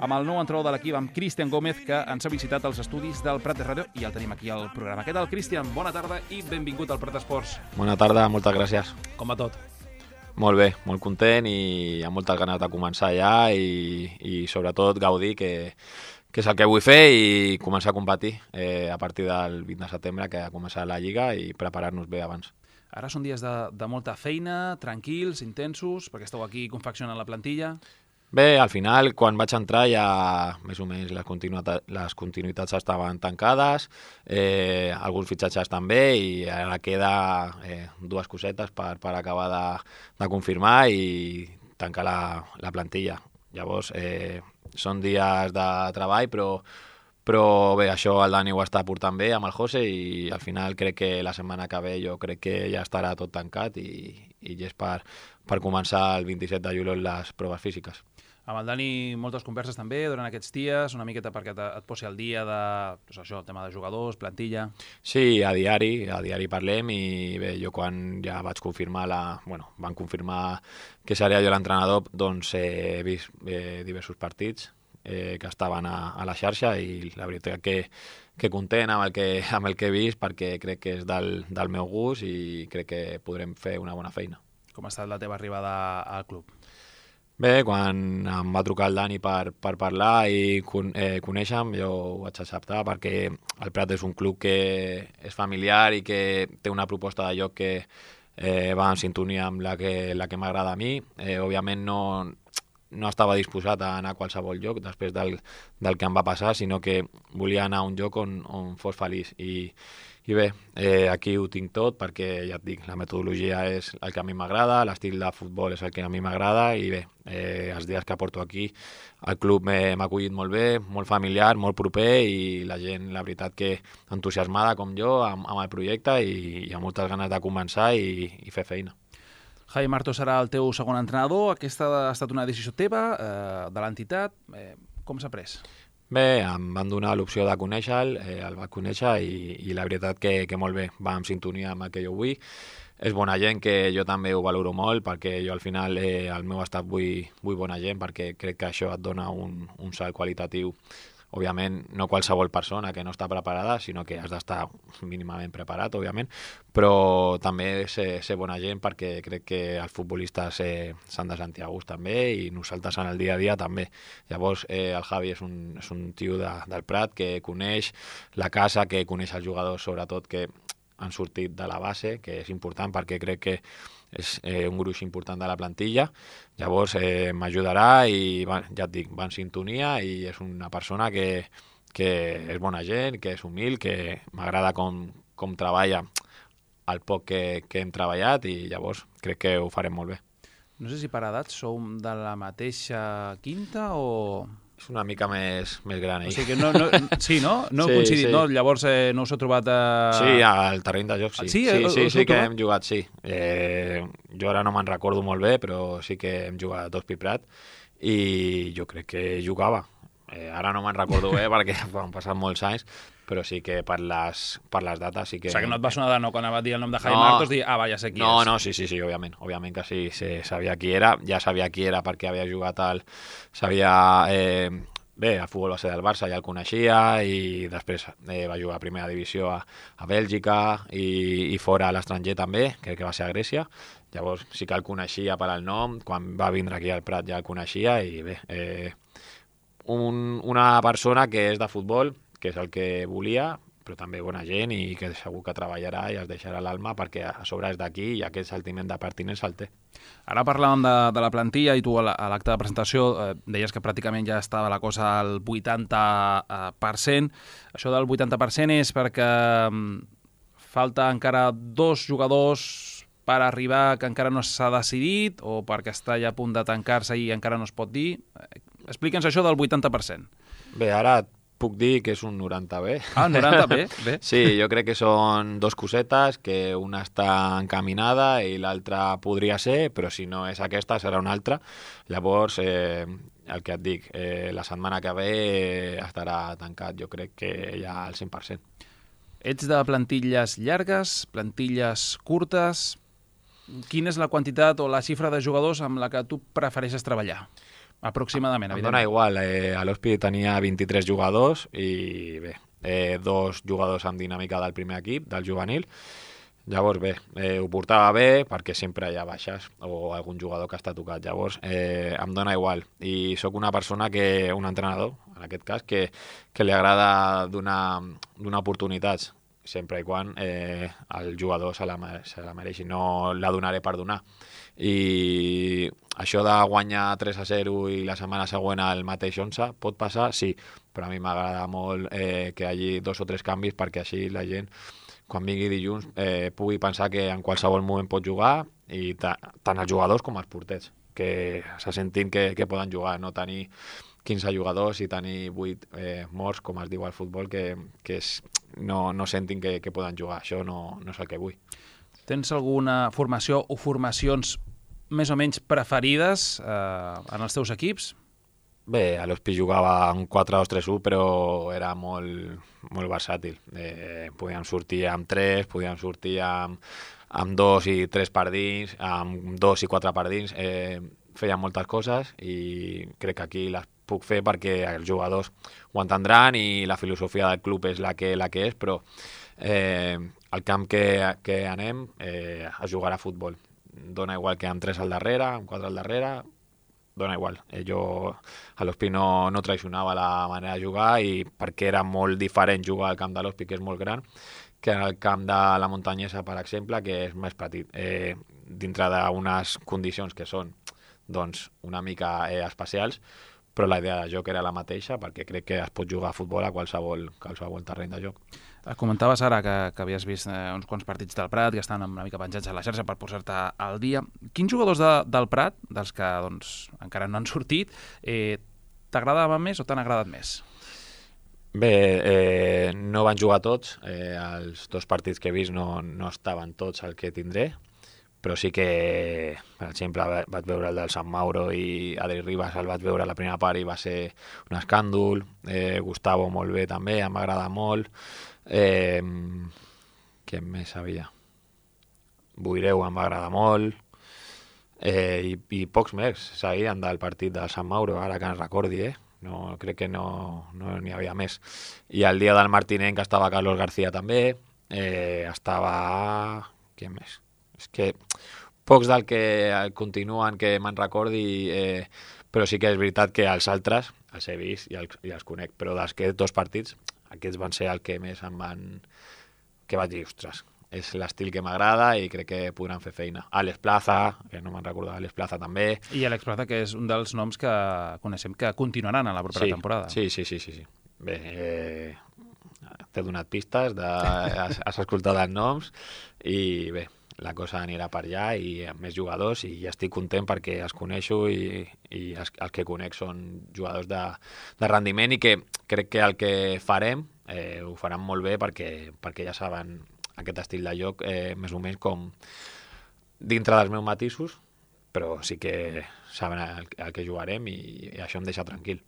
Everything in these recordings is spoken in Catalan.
amb el nou entrenador de l'equip, amb Cristian Gómez, que ens ha visitat als estudis del Prat de Ràdio i el tenim aquí al programa. Què tal, Cristian? Bona tarda i benvingut al Prat Esports. Bona tarda, moltes gràcies. Com va tot? Molt bé, molt content i amb moltes ganes de començar ja i sobretot gaudir, que és el que vull fer, i començar a competir a partir del 20 de setembre, que ha començat la Lliga, i preparar-nos bé abans. Ara són dies de molta feina, tranquils, intensos, perquè esteu aquí confeccionant la plantilla. Bé, al final, quan vaig entrar ja més o menys les continuïtats estaven tancades, alguns fitxatges també, i ara queda dues cosetes per acabar de confirmar i tancar la plantilla. Llavors, són dies de treball, però bé, això el Dani ho està portant bé amb el José, i al final crec que la setmana que ve jo crec que ja estarà tot tancat i ja és per començar el 27 de juliol les proves físiques. Amb el Dani moltes converses també durant aquests dies, una miqueta perquè et posi al dia de el tema de jugadors, plantilla. Sí, a diari parlem, i bé, jo quan ja vaig confirmar van confirmar que seria jo l'entrenador, doncs he vist diversos partits que estaven a la xarxa, i la veritat que content amb el que he vist, perquè crec que és del meu gust i crec que podrem fer una bona feina. Com ha estat la teva arribada al club? Bé, quan em va trucar el Dani per parlar i conèixer-me, jo ho vaig acceptar, perquè el Prat és un club que és familiar i que té una proposta de joc que va en sintonia amb la que m'agrada a mi. Òbviament no estava disposat a anar a qualsevol lloc després del que em va passar, sinó que volia anar a un lloc on fos feliç. I bé, aquí ho tinc tot, perquè ja et dic, la metodologia és el que a mi m'agrada, l'estil de futbol és el que a mi m'agrada, i bé, els dies que porto aquí el club m'ha acollit molt bé, molt familiar, molt proper, i la gent, la veritat, que entusiasmada com jo amb el projecte, i amb moltes ganes de començar i fer feina. Javi Marto serà el teu segon entrenador. Aquesta ha estat una decisió teva, de l'entitat. Com s'ha pres? Bé, em van donar l'opció de conèixer-lo, el vaig conèixer, i la veritat que molt bé, va en sintonia amb el que jo vull. És bona gent, que jo també ho valoro molt, perquè jo al final al meu estat vull bona gent, perquè crec que això et dona un salt qualitatiu. Òbviament, no qualsevol persona que no està preparada, sinó que has d'estar mínimament preparat, òbviament, però també ser bona gent, perquè crec que els futbolistes s'han de sentir a gust també, i nosaltres en el dia a dia també. Llavors, el Javi és un tio del Prat que coneix la casa, que coneix els jugadors, sobretot, que han sortit de la base, que és important, perquè crec que és un gruix important de la plantilla. Llavors m'ajudarà, i ja et dic, va en sintonia, i és una persona que és bona gent, que és humil, que m'agrada com treballa el poc que hem treballat, i llavors crec que ho farem molt bé. No sé si per edat sou de la mateixa quinta o... És una mica més gran, ell. O sigui que sí, no? No heu coincidit, sí. No? Llavors no us heu trobat a... Sí, al terreny de joc, sí. Sí que hem jugat, sí. Jo ara no me'n recordo molt bé, però sí que hem jugat a Hospitalet Prat, i jo crec que jugava. Ara no me'n recordo bé, perquè han passat molts anys, però sí que per les dates sí que... O sigui que no et va sonar de no quan va dir el nom de Javi Martos, dir, ja sé qui és. No, sí, òbviament que sí, sabia qui era, ja sabia qui era perquè havia jugat bé, el futbol base del Barça ja el coneixia, i després va jugar a primera divisió a Bèlgica, i fora a l'estranger també, crec que va ser a Grècia. Llavors sí que el coneixia per al nom, quan va vindre aquí al Prat ja el coneixia, i bé, una persona que és de futbol, que és el que volia, però també bona gent, i que segur que treballarà i es deixarà l'alma, perquè a sobre és d'aquí i aquest sentiment de pertinença el té. Ara parlàvem de la plantilla, i tu a l'acte de presentació deies que pràcticament ja estava la cosa al 80%. Això del 80% és perquè falta encara 2 jugadors per arribar, que encara no s'ha decidit, o perquè està ja a punt de tancar-se i encara no es pot dir. Explica'ns això del 80%. Bé, ara puc dir que és un 90 bé. 90 bé? Sí, jo crec que són 2 cosetes, que una està encaminada i l'altra podria ser, però si no és aquesta serà una altra. Llavors, el que et dic, la setmana que ve estarà tancat, jo crec que ja al 100%. Ets de plantilles llargues, plantilles curtes? Quina és la quantitat o la xifra de jugadors amb la que tu prefereixes treballar? Aproximadament, Em evidentment. dona igual, a l'Hospi tenia 23 jugadors i bé, 2 jugadors amb dinàmica del primer equip, del juvenil. Llavors, bé, ho portava bé perquè sempre hi ha baixes o algun jugador que està tocat. Llavors, em dona igual. I sóc una persona un entrenador, en aquest cas, que li agrada donar oportunitats, sempre i quan el jugador se la mereixi. No la donaré per donar. I això de guanyar 3-0 i la setmana següent el mateix 11 pot passar? Sí, però a mi m'agrada molt que hi hagi 2 o 3 canvis perquè així la gent, quan vingui dilluns, pugui pensar que en qualsevol moment pot jugar, i tant els jugadors com els porters, que se sentin que poden jugar, no tenir 15 jugadors i tenir 8 morts, com es diu al futbol, que no sentin que poden jugar. Això no és el que vull. Tens alguna formació o formacions més o menys preferides en els teus equips? Bé, a l'Hospi jugava un 4-2-3-1, però era molt versàtil. Podíem sortir amb 3, podíem sortir amb 2 i 3 per dins, amb 2 i 4 per dins. Feia moltes coses i crec que aquí les puc fer perquè els jugadors ho entendran i la filosofia del club és la que és, però al camp que anem a jugar a futbol. Dona igual que amb 3 al darrere, amb 4 al darrere, dona igual. Jo a l'Hospi no traicionava la manera de jugar, i perquè era molt diferent jugar al camp de l'Hospi, que és molt gran, que en el camp de la Muntanyesa, per exemple, que és més petit, dintre d'unes condicions que són doncs una mica especials, però la idea de joc era la mateixa, perquè crec que es pot jugar a futbol a qualsevol terreny de joc. Comentaves ara que havies vist uns quants partits del Prat, que estan una mica penjats a la xarxa per posar-te al dia. Quins jugadors del Prat, dels que encara no han sortit, t'agradaven més o t'han agradat més? Bé, no van jugar tots. Els 2 partits que he vist no estaven tots el que tindré, però sí que, per exemple, vaig veure el del Sant Mauro i Adri Ribas, el vaig veure a la primera part i va ser un escàndol. Gustavo molt bé també, em va agradar molt. Què més havia? Buireu em va agradar molt. I pocs més seguien del partit del Sant Mauro, ara que ens recordi, No, crec que no n'hi havia més. I el dia del Martinenc estava Carlos García també, estava... Què més? És que pocs del que continuen que me'n recordi, però sí que és veritat que els altres els he vist i els conec, però d'aquests 2 partits, aquests van ser el que més em van... que vaig dir, ostres, és l'estil que m'agrada i crec que podran fer feina. Àlex Plaza, que no me'n recordava, Àlex Plaza també. I Àlex Plaza, que és un dels noms que coneixem que continuaran a la propera temporada. Sí. Bé, t'he donat pistes, has escoltat els noms i bé, la cosa anirà per allà i amb més jugadors, i ja estic content perquè els coneixo i els que conec són jugadors de rendiment, i que crec que el que farem ho faran molt bé perquè ja saben aquest estil de joc més o menys com dintre dels meus matisos, però sí que saben el que jugarem i això em deixa tranquil.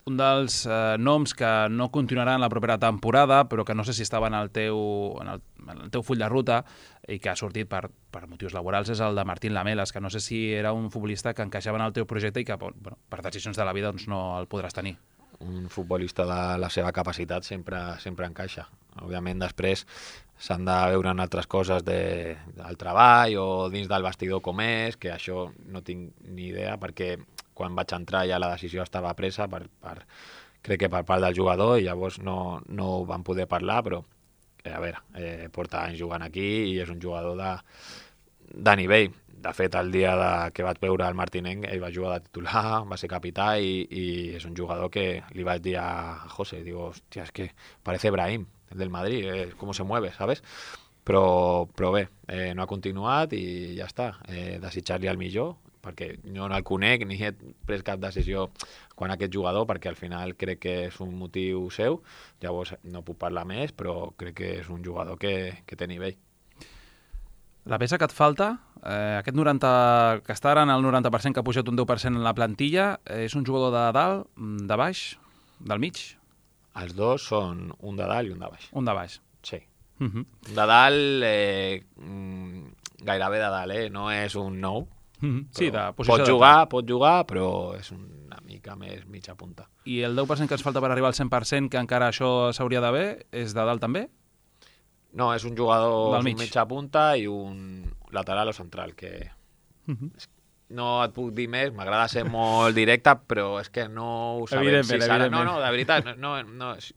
Un dels noms que no continuaran la propera temporada, però que no sé si estava en el teu full de ruta i que ha sortit per motius laborals, és el de Martín Lamelas, que no sé si era un futbolista que encaixava en el teu projecte i que per decisions de la vida no el podràs tenir. Un futbolista de la seva capacitat sempre encaixa. Òbviament després s'han de veure en altres coses del treball o dins del vestidor com és, que això no tinc ni idea, perquè quan vaig entrar ja la decisió estava presa crec que per part del jugador, i llavors no ho van poder parlar, però a veure, porta anys jugant aquí i és un jugador de nivell. De fet, el dia que vaig veure el Martinenc, ell va jugar de titular, va ser capità i és un jugador que li vaig dir a José, digo, hòstia, es que parece Brahim, el del Madrid, com se mueve, ¿sabes? Però bé, no ha continuat i ja està. Desitjar-li el millor, perquè jo no el conec ni he pres cap decisió quan aquest jugador, perquè al final crec que és un motiu seu, llavors no puc parlar més, però crec que és un jugador que té nivell. La peça que et falta, aquest 90, que està ara en el 90%, que ha pujat un 10% en la plantilla, és un jugador de dalt, de baix, del mig? Els dos són un de dalt i un de baix. Un de baix. Sí. De dalt, gairebé de dalt, no és un nou, Sí, de posició pot jugar, però és una mica més mitja punta. I el 10% que ens falta per arribar al 100%, que encara això s'hauria d'haver, és de dalt també? No, és un jugador Del mig. un mitja punta i un lateral o central, que no et puc dir més, m'agrada ser molt directe, però és que no ho sabem si serà. No, de veritat, no,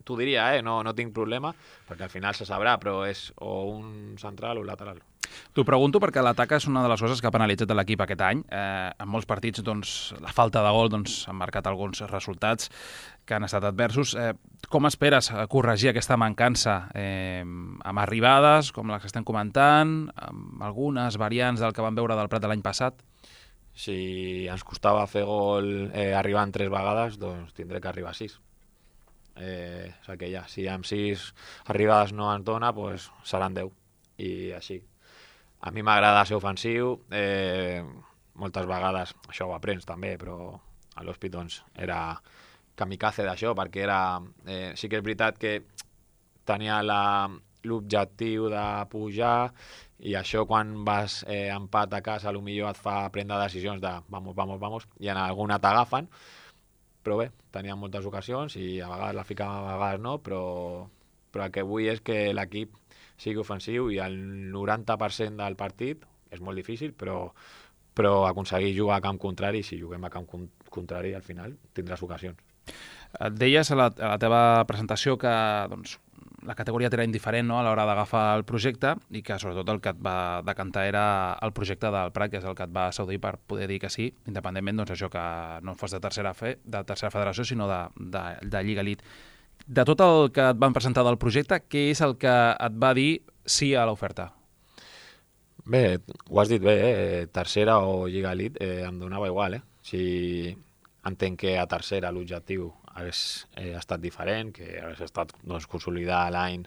t'ho diria, no tinc problema, perquè al final se sabrà, però és o un central o un lateral. T'ho pregunto perquè l'atac és una de les coses que ha penalitzat l'equip aquest any. En molts partits, doncs, la falta de gol ha marcat alguns resultats que han estat adversos. Com esperes corregir aquesta mancança amb arribades, com les que estem comentant, amb algunes variants del que vam veure del Prat de l'any passat? Si ens costava fer gol arribant 3 vegades, doncs tindré que arribar a 6. És el que hi ha. Si amb 6 arribades no ens dona, doncs seran 10. I així. A mi m'agrada ser ofensiu, moltes vegades, això ho aprens també, però a l'Hospi doncs, era kamikaze d'això, perquè era, sí que és veritat que tenia l'objectiu de pujar, i això quan vas empat a casa potser et fa prendre decisions de vamos, i en alguna t'agafen, però bé, tenia moltes ocasions i a vegades la ficava, a vegades no, però el que vull és que l'equip sigui ofensiu, i el 90% del partit és molt difícil, però aconseguir jugar a camp contrari, si juguem a camp contrari al final tindràs ocasions. Et deies a la teva presentació que doncs, la categoria t'era indiferent, no?, a l'hora d'agafar el projecte, i que sobretot el que et va decantar era el projecte del Prat, que és el que et va seduir per poder dir que sí, independentment doncs, això que no fos de tercera federació, sinó de Lliga Elite. De tot el que et van presentar del projecte, què és el que et va dir sí a l'oferta? Bé, ho has dit bé, tercera o Lliga Elite em donava igual. Si entenc que a tercera l'objectiu hagués estat diferent, que hagués estat doncs, consolidar l'any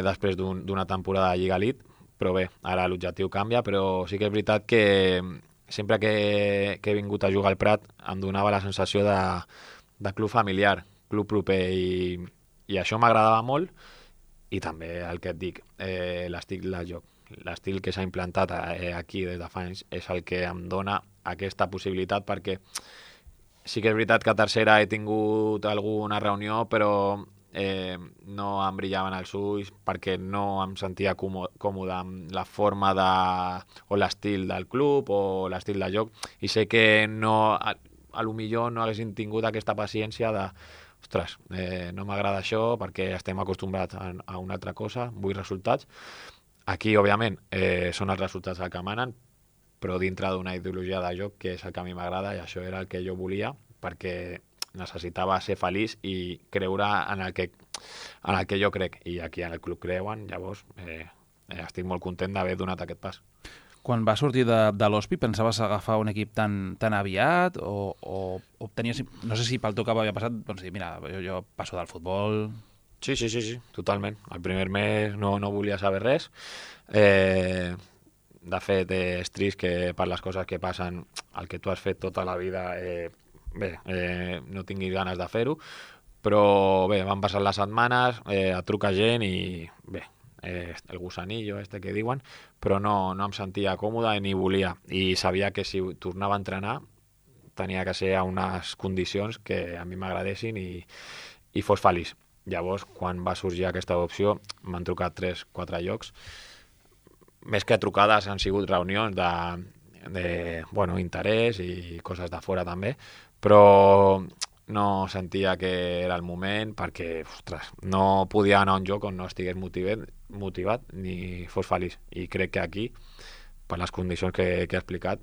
després d'una temporada de Lliga Elite, però bé, ara l'objectiu canvia, però sí que és veritat que sempre que he vingut a jugar al Prat em donava la sensació de club familiar, club proper, i això m'agradava molt, i també el que et dic, l'estil de joc. L'estil que s'ha implantat aquí des de fa anys és el que em dona aquesta possibilitat, perquè sí que és veritat que a tercera he tingut alguna reunió, però no em brillaven els ulls perquè no em sentia còmode amb la forma o l'estil del club o l'estil de joc, i sé que a lo millor no haguessin tingut aquesta paciència de ostres, no m'agrada això perquè estem acostumbrats a una altra cosa, vull resultats. Aquí, òbviament, són els resultats el que manen, però dintre d'una ideologia de joc que és el que a mi m'agrada, i això era el que jo volia, perquè necessitava ser feliç i creure en el que jo crec, i aquí en el club creuen, llavors estic molt content d'haver donat aquest pas. Quan vas sortir de l'Hospi, pensaves agafar un equip tan aviat o tenies, no sé si pel teu cap havia passat, doncs dir, mira, jo passo del futbol... Sí, totalment. El primer mes no volia saber res. De fet, és trist que per les coses que passen, el que tu has fet tota la vida, no tinguis ganes de fer-ho. Però bé, van passar les setmanes, et truca gent i bé, el gusanillo que diuen, però no em sentia còmode ni volia. I sabia que si tornava a entrenar tenia que ser a unes condicions que a mi m'agradessin i fos feliç. Llavors, quan va sorgir aquesta opció, m'han trucat 3-4 llocs. Més que trucades han sigut reunions de interès i coses de fora també, però no sentia que era el moment perquè, ostres, no podia anar a un lloc on no estigués motivat ni fos feliç. I crec que aquí, per les condicions que he explicat,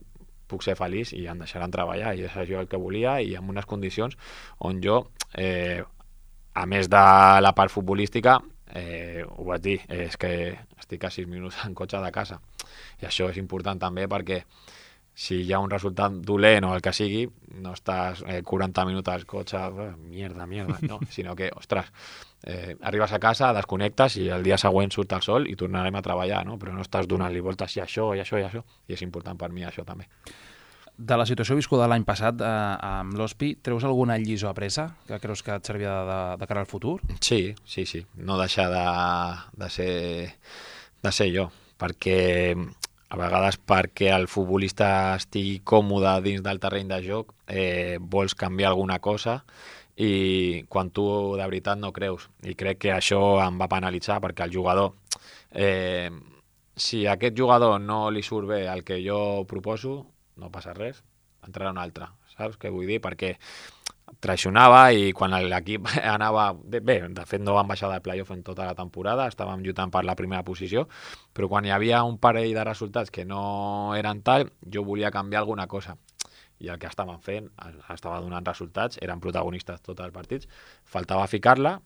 puc ser feliç i em deixaran treballar, i és això el que volia, i amb unes condicions on jo... a més de la part futbolística, ho vaig dir, és que estic a 6 minuts en cotxe de casa. I això és important també perquè si hi ha un resultat dolent o el que sigui, no estàs 40 minuts al cotxe, mierda, no, sinó que, ostres, arribes a casa, desconnectes i el dia següent surt el sol i tornarem a treballar, no? Però no estàs donant-li voltes i això, i és important per mi això també. De la situació viscuda l'any passat amb l'Hospi, treus alguna lliçó apresa que creus que et servia de cara al futur? Sí. No deixar de ser jo, perquè A vegades perquè el futbolista estigui còmode dins del terreny de joc, vols canviar alguna cosa i quan tu de veritat no creus. I crec que això em va penalitzar perquè el jugador, si a aquest jugador no li surt bé el que jo proposo, no passa res, entrarà un altre, saps què vull dir? Perquè traicionava i quan l'equip anava... Bé, de fet no van baixar de playoff en tota la temporada, estàvem lluitant per la primera posició, però quan hi havia un parell de resultats que no eren tal, jo volia canviar alguna cosa. I el que estaven fent estava donant resultats, eren protagonistes tots els partits, faltava ficar-la,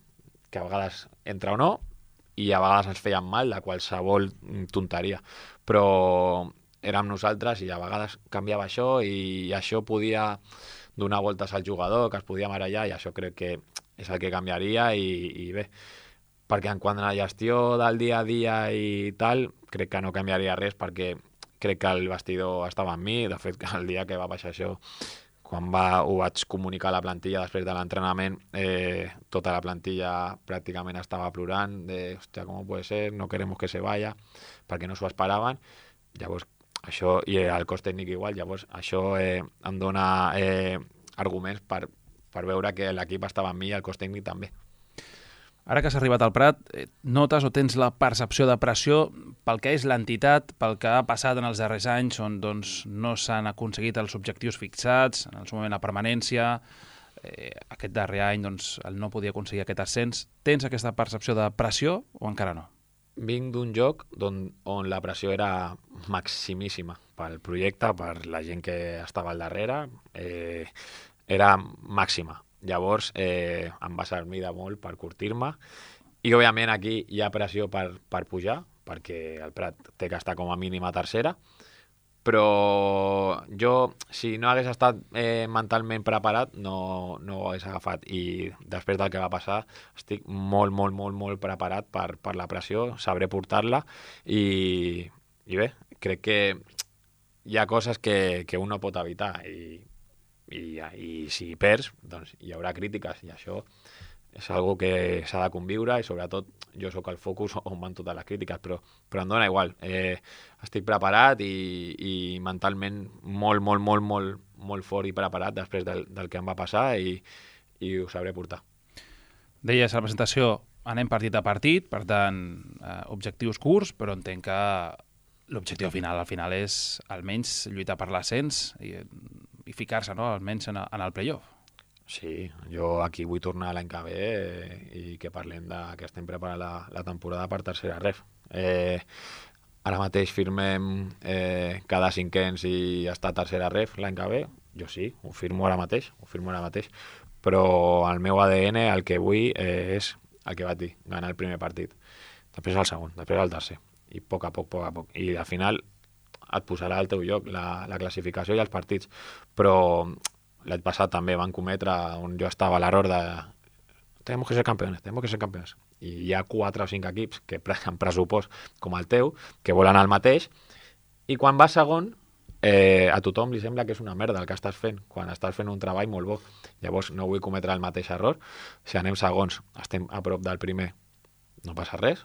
que a vegades entra o no, i a vegades ens feien mal de qualsevol tonteria, però érem nosaltres i a vegades canviava això i això podia donar voltes al jugador, que es podia marellar, i això crec que és el que canviaria i bé, perquè en quant a la gestió del dia a dia i tal, crec que no canviaria res perquè crec que el vestidor estava amb mi. De fet, el dia que va baixar això, quan ho vaig comunicar a la plantilla després de l'entrenament, tota la plantilla pràcticament estava plorant de, hòstia, com puede ser, no queremos que se vaya, perquè no s'ho esperaven. Llavors, això, i el cos tècnic igual, llavors això em dona arguments per veure que l'equip estava amb mi i el cos tècnic també. Ara que has arribat al Prat, notes o tens la percepció de pressió pel que és l'entitat, pel que ha passat en els darrers anys, on doncs, no s'han aconseguit els objectius fixats, en el seu moment la permanència, aquest darrer any doncs, el no podia aconseguir aquest ascens. Tens aquesta percepció de pressió o encara no? Vinc d'un joc on la pressió era maximíssima pel projecte, per la gent que estava al darrere, era màxima. Llavors em va servir de molt per curtir-me i òbviament aquí hi ha pressió per pujar perquè el Prat té que estar com a mínim a tercera, però jo si no hagués estat mentalment preparat no ho hagués agafat i després del que va passar estic molt preparat per la pressió, sabré portar-la i bé, crec que hi ha coses que un no pot evitar i si perds, doncs hi haurà crítiques i això és algo que s'ha de conviure i sobretot jo sóc el focus on van totes les crítiques, però em dona igual. Estic preparat i mentalment molt fort i preparat després del que em va passar i ho sabré portar. Deies a la presentació, anem partit a partit, per tant, objectius curts, però entenc que l'objectiu al final és almenys lluitar per l'ascens i ficar-se, no?, almenys en el playoff. Sí, jo aquí vull tornar l'any que ve i que parlem que estem preparant la temporada per tercera ref. Ara mateix firmem cada cinquens i estar a tercera ref l'any que ve. Jo sí, ho firmo ara mateix, però el meu ADN el que vull és el que vaig dir, ganar el primer partit, després el segon, després el tercer, i a poc a poc. I al final et posarà al teu lloc la classificació i els partits, però l'any passat també van cometre on jo estava a l'error de tenemos que ser campeones, i hi ha 4 o 5 equips que amb pressupost com el teu que volen el mateix i quan vas segon a tothom li sembla que és una merda el que estàs fent quan estàs fent un treball molt bo. Llavors no vull cometre el mateix error. Si anem segons, estem a prop del primer, no passa res,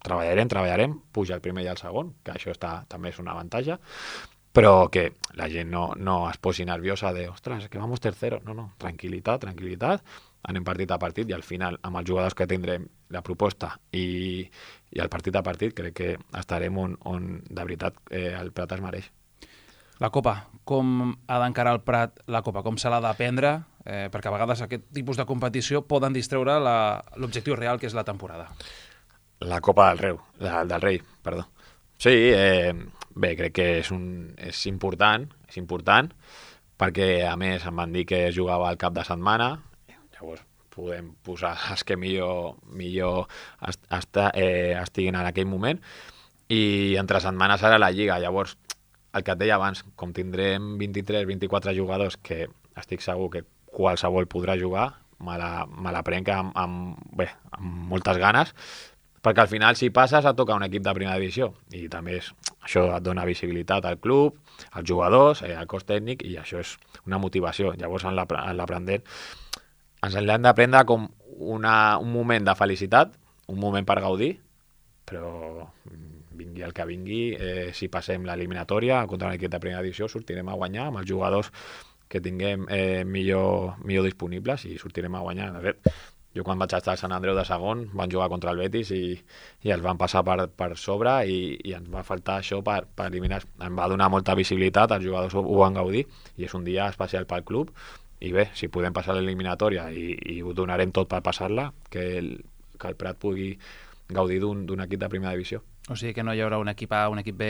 treballarem, puja el primer i el segon, que això també és un avantatge, però que la gent no es posi nerviosa de, ostres, que vamos tercero. No, tranquil·litat, anem partit a partit i al final, amb els jugadors que tindrem, la proposta i el partit a partit, crec que estarem on de veritat el Prat es mereix. La Copa, com ha d'encarar el Prat la Copa? Com se l'ha d'aprendre? Perquè a vegades aquest tipus de competició poden distreure l'objectiu real, que és la temporada. La Copa del Rei, perdó. Sí, bé, crec que és important, perquè a més em van dir que es jugava al cap de setmana, llavors podem posar els que millor estiguin en aquell moment, i entre setmanes serà la Lliga. Llavors, el que et deia abans, com tindrem 23-24 jugadors que estic segur que qualsevol podrà jugar, me la prenc amb moltes ganes, perquè al final si passes et toca un equip de primera divisió i també això et dona visibilitat al club, als jugadors, al cos tècnic, i això és una motivació. Llavors en l'aprenent ens l'hem de prendre com un moment de felicitat, un moment per gaudir, però vingui el que vingui, si passem l'eliminatòria contra un equip de primera divisió sortirem a guanyar amb els jugadors que tinguem millor disponibles i sortirem a guanyar. De fet, jo quan vaig estar a Sant Andreu de segon van jugar contra el Betis i els van passar per sobre i ens va faltar això per eliminar. Em va donar molta visibilitat, els jugadors ho van gaudir i és un dia especial pel club i bé, si podem passar l'eliminatòria i ho donarem tot per passar-la, que el Prat pugui gaudir d'un equip de primera divisió. O sigui que no hi haurà un equip A, un equip B,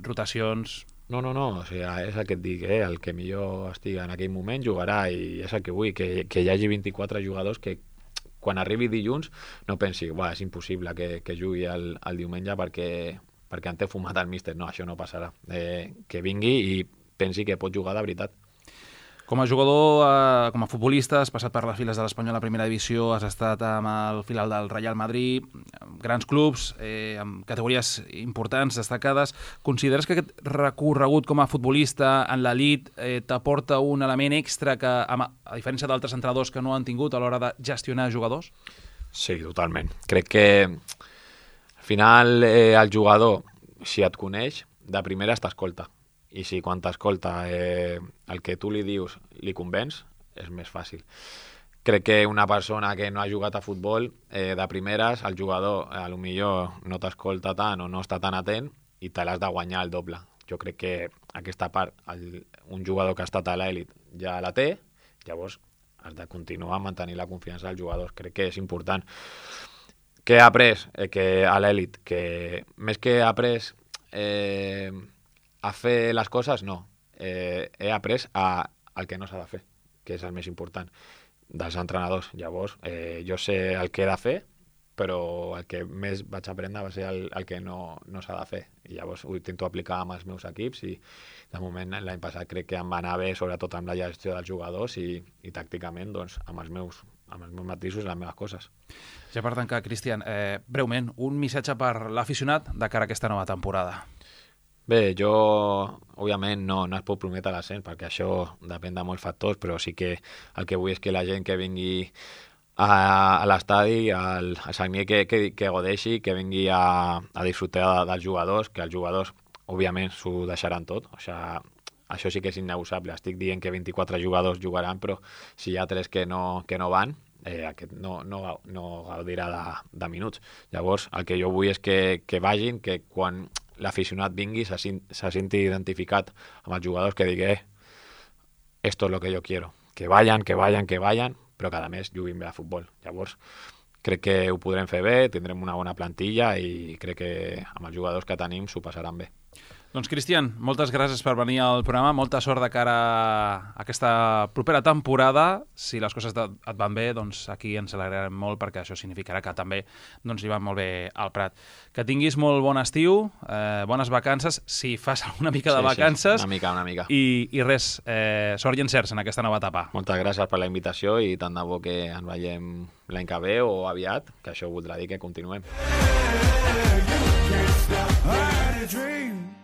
rotacions... No, o sigui, és el que et dic, el que millor estigui en aquell moment jugarà i és el que vull, que hi hagi 24 jugadors que quan arribi dilluns no pensi, és impossible que jugui el diumenge perquè en té fumat el míster. No, això no passarà. Que vingui i pensi que pot jugar de veritat. Com a jugador, com a futbolista, has passat per les files de l'Espanyol a primera divisió, has estat amb el filial del Real Madrid, grans clubs, amb categories importants, destacades. Consideres que aquest recorregut com a futbolista en l'elit t'aporta un element extra que, a diferència d'altres entrenadors que no han tingut a l'hora de gestionar jugadors? Sí, totalment. Crec que al final el jugador, si et coneix, de primeres t'escolta. I si quan t'escolta el que tu li dius li convenç, és més fàcil. Crec que una persona que no ha jugat a futbol, de primeres, el jugador potser no t'escolta tant o no està tan atent i te l'has de guanyar el doble. Jo crec que aquesta part, un jugador que ha estat a l'elit ja la té, llavors has de continuar a mantenir la confiança dels jugadors. Crec que és important. Què he après a l'elit? Que més que he après a fer les coses, no. He après el que no s'ha de fer, que és el més important dels entrenadors. Llavors, jo sé el que he de fer, però el que més vaig aprendre va ser el que no s'ha de fer. I llavors ho intento aplicar amb els meus equips i de moment l'any passat crec que em va anar bé, sobretot amb la gestió dels jugadors i tàcticament doncs, amb els meus matisos i les meves coses. Ja per tancar, Cristian, breument, un missatge per l'aficionat de cara a aquesta nova temporada. Bé, jo, òbviament, no es pot prometre l'ascens, perquè això depèn de molts factors, però sí que el que vull és que la gent que vingui a l'estadi, al Sagnier, que godeixi, que vingui a disfrutar dels jugadors, que els jugadors, òbviament, s'ho deixaran tot. O sigui, això sí que és innegociable. Estic dient que 24 jugadors jugaran, però si hi ha 3 que no van, aquest no gaudirà de minuts. Llavors, el que jo vull és que vagin, que quan l'aficionat vingui se senti identificat amb els jugadors, que digui esto es lo que yo quiero, que vayan, però que a més juguin bé a futbol. Llavors crec que ho podrem fer bé, tindrem una bona plantilla i crec que amb els jugadors que tenim s'ho passaran bé. Doncs, Cristian, moltes gràcies per venir al programa, molta sort de cara a aquesta propera temporada. Si les coses et van bé, doncs aquí ens alegrarem molt, perquè això significarà que també doncs, li va molt bé al Prat. Que tinguis molt bon estiu, bones vacances, si fas una mica de vacances. Sí, una mica. I res, sort i encerts en aquesta nova etapa. Moltes gràcies per la invitació i tant de bo que ens veiem l'any que ve o aviat, que això voldrà dir que continuem.